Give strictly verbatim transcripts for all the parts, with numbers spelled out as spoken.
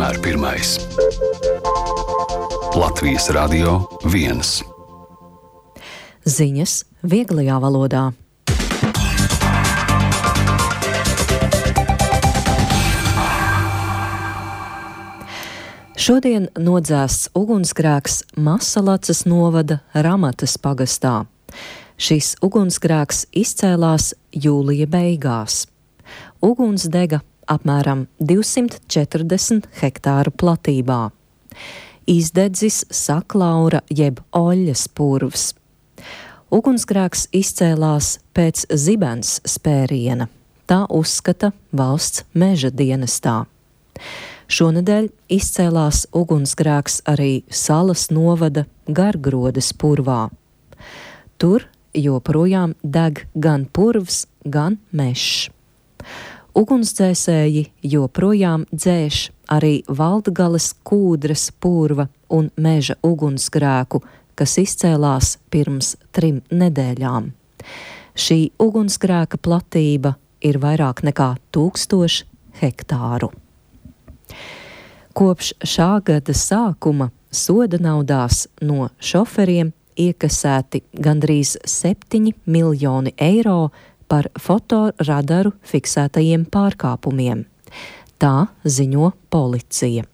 vienmēr pirmais. Latvijas Radio viens. Ziņas vieglajā valodā. Šodien nodzēsts ugunsgrēks Masalacas novada Ramatas pagastā. Šis ugunsgrēks izcēlās jūlija beigās. Uguns dega apmēram divsimt četrdesmit hektāru platībā. Izdedzis saklaura jeb oļļas purvs. Ugunsgrēks izcēlās pēc zibens spēriena. Tā uzskata valsts meža dienestā. Šonedēļ izcēlās ugunsgrēks arī Salas novada Gargrodes purvā. Tur joprojām deg gan purvs, gan mežs. Ugunsdzēsēji joprojām dzēš arī Valdgales Kūdras purva un meža ugunsgrēku, kas izcēlās pirms trim nedēļām. Šī ugunsgrēka platība ir vairāk nekā tūkstoši hektāru. Kopš šā gada sākuma soda naudās no šoferiem iekasēti gandrīz septiņi miljoni eiro par fotoradaru fiksētajiem pārkāpumiem. Tā ziņo policija.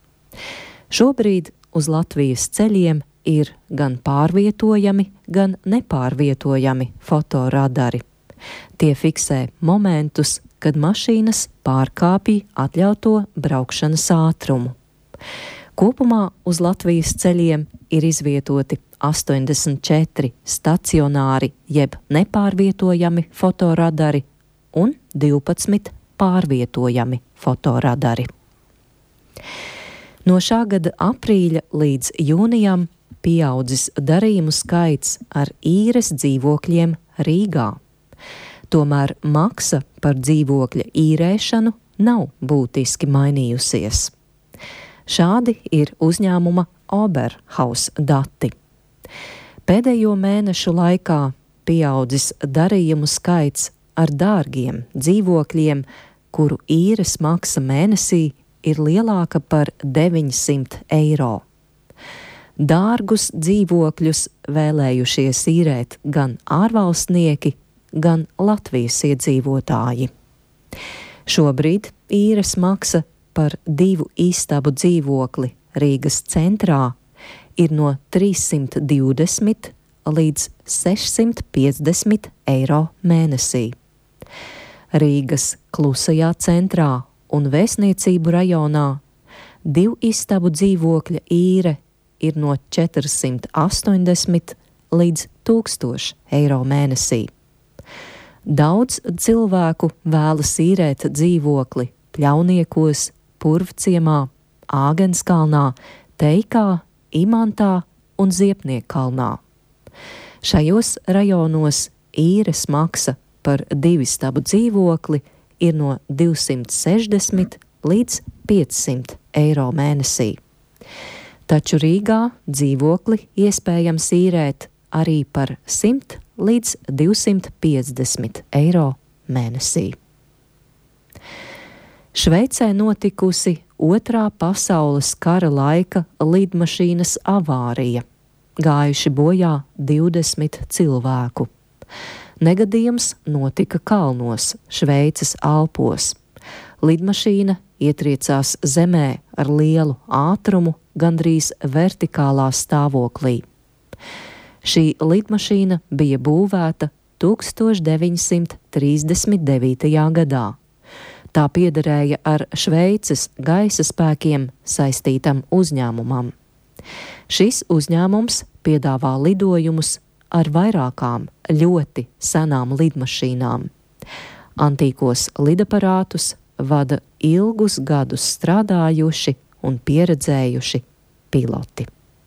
Šobrīd uz Latvijas ceļiem ir gan pārvietojami, gan nepārvietojami fotoradari. Tie fiksē momentus, kad mašīnas pārkāpj atļauto braukšanas ātrumu. Kopumā uz Latvijas ceļiem ir izvietoti astoņdesmit četri stacionāri jeb nepārvietojami fotoradari un divpadsmit pārvietojami fotoradari. No šā gada aprīļa līdz jūnijam pieaudzis darījumu skaits ar īres dzīvokļiem Rīgā. Tomēr maksa par dzīvokļa īrēšanu nav būtiski mainījusies. Šādi ir uzņēmuma Oberhaus dati. Pēdējo mēnešu laikā pieaudzis darījumu skaits ar dārgiem dzīvokļiem, kuru īres maksa mēnesī ir lielāka par deviņsimt eiro. Dārgus dzīvokļus vēlējušies īrēt gan ārvalstnieki, gan Latvijas iedzīvotāji. Šobrīd īres maksa par divu istabu dzīvokli Rīgas centrā ir no trīssimt divdesmit līdz sešsimt piecdesmit eiro mēnesī. Rīgas Klusajā centrā un Vēstniecību rajonā divu istabu dzīvokļa īre ir no četrsimt astoņdesmit līdz tūkstoš eiro mēnesī. Daudz cilvēku vēlas īrēt dzīvokli Pļauniekos, Purvciemā, Āgenskalnā, Teikā, Imantā un Ziepniekkalnā. Šajos rajonos īres maksa par divistabu dzīvokli ir no divsimt sešdesmit līdz piecsimt eiro mēnesī. Taču Rīgā dzīvokli iespējams īrēt arī par simt līdz divsimt piecdesmit eiro mēnesī. Šveicē notikusi Otrā pasaules kara laika lidmašīnas avārija. Gājuši bojā divdesmit cilvēku. Negadījums notika kalnos, Šveices Alpos. Lidmašīna ietriecās zemē ar lielu ātrumu, gandrīz vertikālā stāvoklī. Šī lidmašīna bija būvēta tūkstoš deviņsimt trīsdesmit devītajā gadā. Tā piederēja ar Šveices gaisa spēkiem saistītam uzņēmumam. Šis uzņēmums piedāvā lidojumus ar vairākām ļoti senām lidmašīnām. Antīkos lidaparātus vada ilgus gadus strādājuši un pieredzējuši piloti.